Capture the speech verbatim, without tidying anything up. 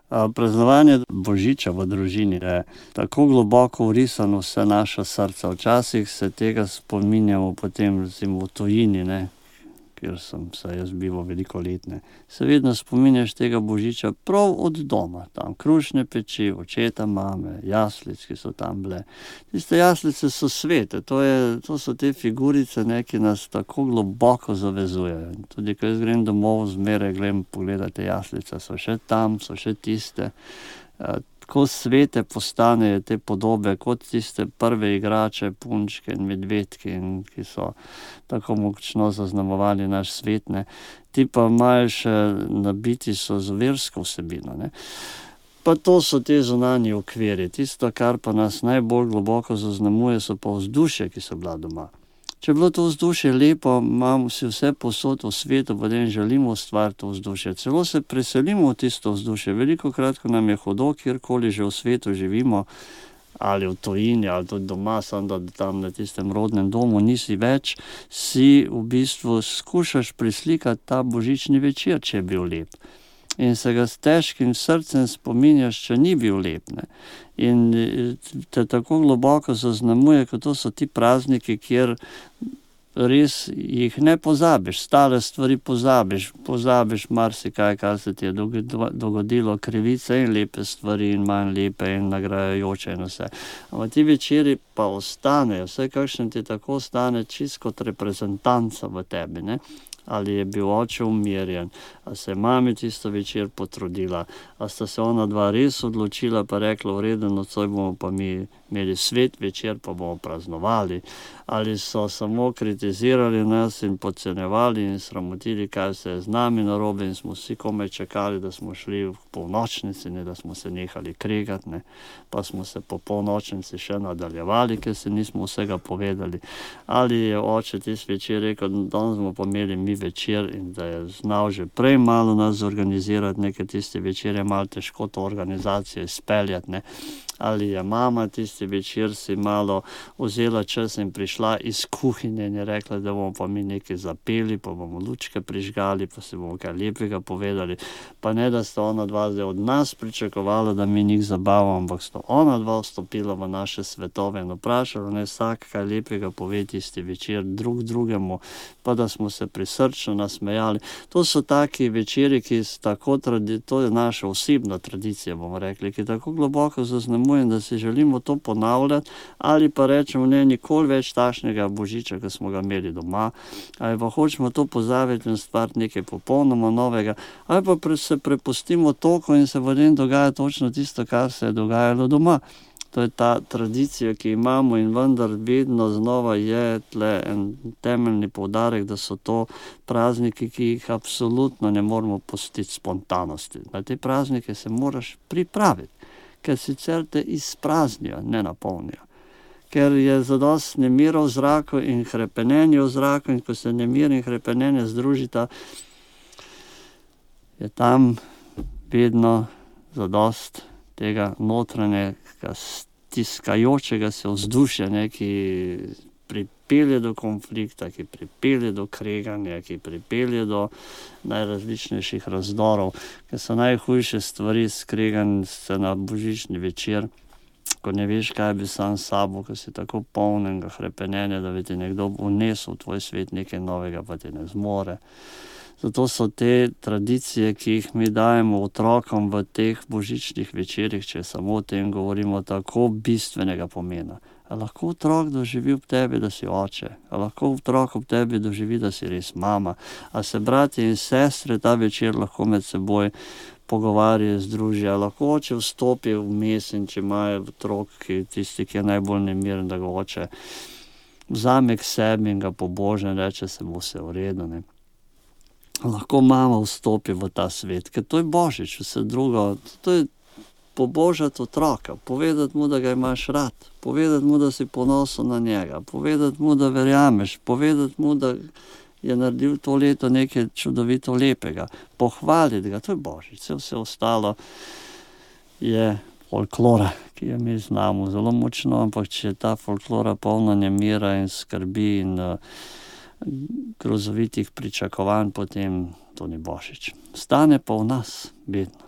Praznovanje božiča v družini je tako globoko vrisano vse naša srca. Včasih se tega spominjamo potem recimo v tujini, ne, kjer sem se jaz bival veliko let, ne. Se vedno spominjaš tega božiča prav od doma, tam krušne peči, očeta, mame, jaslic, ki so tam bile. Tiste jaslice so svete, to je, to so te figurice, ne, ki nas tako globoko zavezujejo. Tudi ko jaz grem domov, zmeraj gledam pogledat te jaslice, so še tam, so še tiste. Tako svete postanejo te podobe, kot tiste prve igrače, punčke in medvedki, in ki so tako močno zaznamovali naš svet, ne. Ti pa imajo še nabiti so z versko vsebino, ne. Pa to so te zunanji okvirji. Tisto, kar pa nas najbolj globoko zaznamuje, so pa vzdušja, ki so bila doma. Če je bilo to vzdušje lepo, imamo si vse povsod v svetu, potem želimo ustvariti to vzdušje. Celo se preselimo v tisto vzdušje. Velikokrat, ko nam je hudo, kjerkoli že v svetu živimo, ali v tujini, ali tudi doma, samo da tam na tistem rodnem domu nisi več, si v bistvu skušaš preslikati ta božični večer, če je bil lep. In se ga s težkim srcem spominjaš, če ni bil lep, ne. In te tako globoko zaznamuje, ker to so ti prazniki, kjer res jih ne pozabiš, stare stvari pozabiš, pozabiš marsikaj, kar se ti je dogodilo, krivice in lepe stvari in manj lepe in nagrajajoče in vse. Ampak ti večeri pa ostanejo, vsaj kakšen ti tako ostane čisto kot reprezentanca v tebi, ne. Ali je bil oče umirjen, a se je mami tisto večer potrudila, a sta se ona dva res odločila pa rekla, v redu, nocoj bomo pa mi imeli svet večer, pa bomo praznovali. Ali so samo kritizirali nas in podcenjevali in sramotili, kaj se je z nami narobe, in smo vsi komaj čakali, da smo šli v polnočnici, ne, da smo se nehali kregati, ne. Pa smo se po polnočnici še nadaljevali, ker si nismo vsega povedali. Ali je oče tisti večer rekel, danes bomo pa imeli mi večer, in da je znal že prej malo nas zorganizirati, neke tiste večer je malo težko to organizacijo izpeljati, ne. Ali je mama tisti večer si malo vzela čas in prišla iz kuhinje in je rekla, da bomo pa mi nekaj zapeli, pa bomo lučke prižgali, pa si bomo kaj lepega povedali. Pa ne, da sta ona dva zdaj od nas pričakovala, da mi njih zabavamo, ampak sta ona dva vstopila v naše svetove in vprašala, naj vsak kaj lepega pove tisti večer drug drugemu, pa da smo se prisrčno nasmejali. To so taki večeri, ki so tako, to je naša osebna tradicija, bomo rekli, ki tako globoko zaznamuje, da si želimo to ponavljati, ali pa rečemo, ne, nikoli več takšnega božiča, ki smo ga imeli doma, ali pa hočemo to pozabiti in stvariti nekaj popolnoma novega, ali pa se prepustimo toku in se potem dogaja točno tisto, kar se je dogajalo doma. To je ta tradicija, ki imamo, in vendar vedno znova je tle en temeljni poudarek, da so to prazniki, ki jih absolutno ne moremo pustiti spontanosti. Na te praznike se moraš pripraviti, ker sicer te izpraznijo, ne napolnijo. Ker je zadosti nemira v zraku in hrepenenje v zraku, in ko se nemir in hrepenenje združita, je tam vedno zadosti tega notranjega stiskajočega se vzdušja, ne, ki pripelje do konflikta, ki pripelje do kreganja, ki pripelje do najrazličnejših razdorov, ker so najhujše stvari skregan se na božični večer, ko ne veš, kaj bi sam s sabo, ko si tako polnega hrepenenja, da bi ti nekdo vnesel v tvoj svet nekaj novega, pa ti ne zmore. Zato so te tradicije, ki jih mi dajemo otrokom v teh božičnih večerih, če samo o tem govorimo, tako bistvenega pomena. A lahko otrok doživi ob tebi, da si oče? A lahko otrok ob tebi doživi, da si res mama? A se bratje in sestre ta večer lahko med seboj pogovarjajo, združijo? Lahko oče vstopi vmes, in če imajo otrok, ki tisti, ki je najbolj nemiren, da ga oče vzame k sebi in ga poboža in reče, se bo vse v redu, ne. Lahko mama vstopi v ta svet, ker to je božič, vse drugo, to je pobožati otroka, povedati mu, da ga imaš rad, povedati mu, da si ponosen na njega, povedati mu, da verjameš, povedati mu, da je naredil to leto nekaj čudovito lepega, pohvaliti ga, to je božič. Vse ostalo je folklora, ki jo mi znamo zelo močno, ampak če je ta folklora polna nemira in skrbi in grozovitih pričakovanj, potem to ni božič. Stane pa v nas vedno.